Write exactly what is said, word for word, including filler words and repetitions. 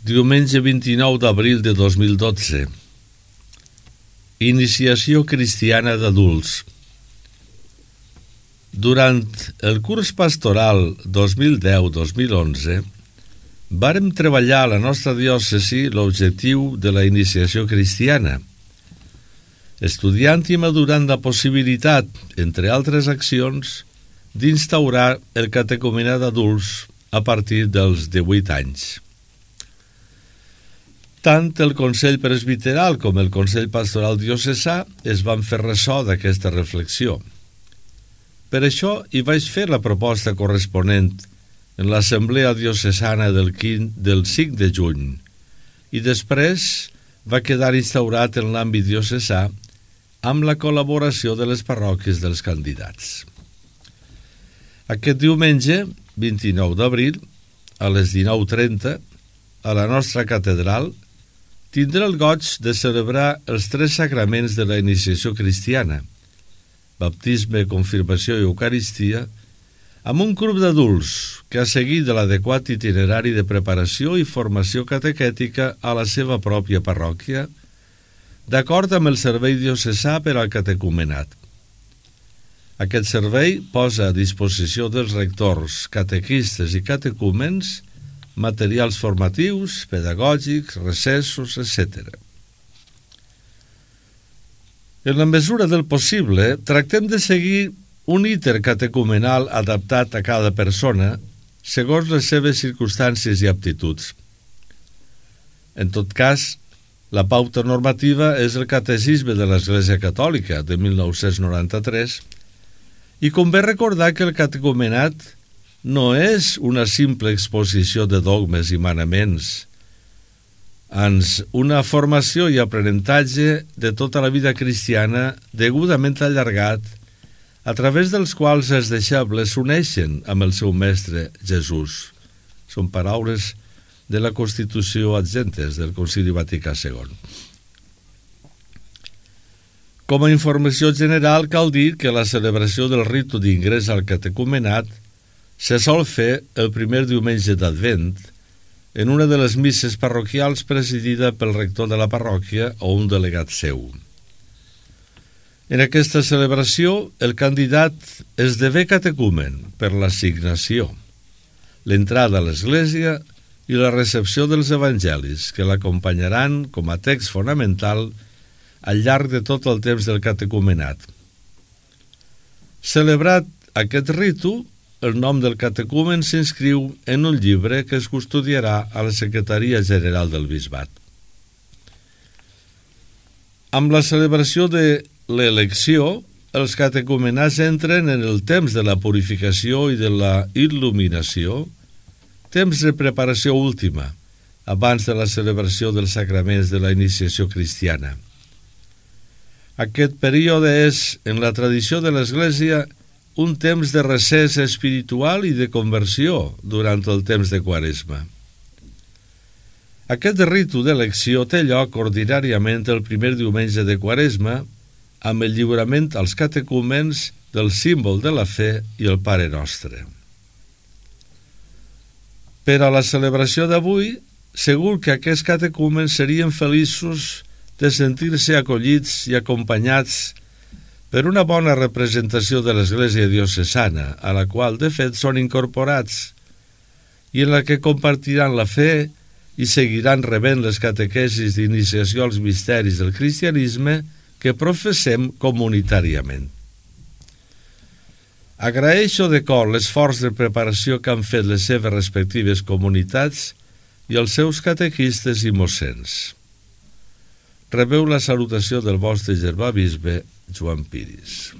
Diumenge vint-i-nou d'abril de dos mil dotze. Iniciació cristiana d'adults. Durant el curs pastoral dos mil deu dos mil onze vàrem treballar a la nostra diòcesi l'objectiu de la iniciació cristiana, estudiant i madurant la possibilitat, entre altres accions, d'instaurar el catecumenat d'adults a partir dels divuit anys. Tant el Consell Presbiteral com el Consell Pastoral Diocesà es van fer ressò d'aquesta reflexió. Per això hi vaig fer la proposta corresponent en l'Assemblea Diocesana del, del cinc de juny i després va quedar instaurat en l'àmbit diocesà amb la col·laboració de les parròquies dels candidats. Aquest diumenge, vint-i-nou d'abril, a les dinou trenta, a la nostra catedral, tindrà el goig de celebrar els tres sacraments de la iniciació cristiana, baptisme, confirmació i eucaristia, amb un grup d'adults que ha seguit l'adequat itinerari de preparació i formació catequètica a la seva pròpia parròquia, d'acord amb el servei diocesà per al catecumenat. Aquest servei posa a disposició dels rectors, catequistes i catecúmens materials formatius, pedagògics, recessos, etcètera. En la mesura del possible, tractem de seguir un íter catecumenal adaptat a cada persona segons les seves circumstàncies i aptituds. En tot cas, la pauta normativa és el Catecisme de l'Església Catòlica de mil nou-cents noranta-tres i convé recordar que el catecumenat no és una simple exposició de dogmes i manaments, ans una formació i aprenentatge de tota la vida cristiana degudament allargat, a través dels quals els deixebles s'uneixen amb el seu mestre Jesús. Són paraules de la Constitució adjentes del Concili Vaticà segon. Com a informació general, cal dir que la celebració del ritu d'ingrés al catecumenat se sol fer el primer diumenge d'Advent en una de les misses parroquials presidida pel rector de la parròquia o un delegat seu. En aquesta celebració, el candidat esdevé catecumen per l'assignació, l'entrada a l'Església i la recepció dels evangelis, que l'acompanyaran com a text fonamental al llarg de tot el temps del catecumenat. Celebrat aquest ritu, el nom del catecumen s'inscriu en un llibre que es custodiarà a la Secretaria General del Bisbat. Amb la celebració de l'elecció, els catecumenats entren en el temps de la purificació i de la il·luminació, temps de preparació última, abans de la celebració dels sacraments de la iniciació cristiana. Aquest període és, en la tradició de l'Església, un temps de recés espiritual i de conversió durant el temps de Quaresma. Aquest ritu d'elecció té lloc ordinàriament el primer diumenge de Quaresma amb el lliurament als catecúmens del símbol de la fe i el Pare Nostre. Per a la celebració d'avui, segur que aquests catecúmens serien feliços de sentir-se acollits i acompanyats per una bona representació de l'Església diocesana, a la qual, de fet, són incorporats, i en la que compartiran la fe i seguiran rebent les catequesis d'iniciació als misteris del cristianisme que professem comunitàriament. Agraeixo de cor l'esforç de preparació que han fet les seves respectives comunitats i els seus catequistes i mossens. Rebeu la salutació del vostre germà bisbe Joan Piris.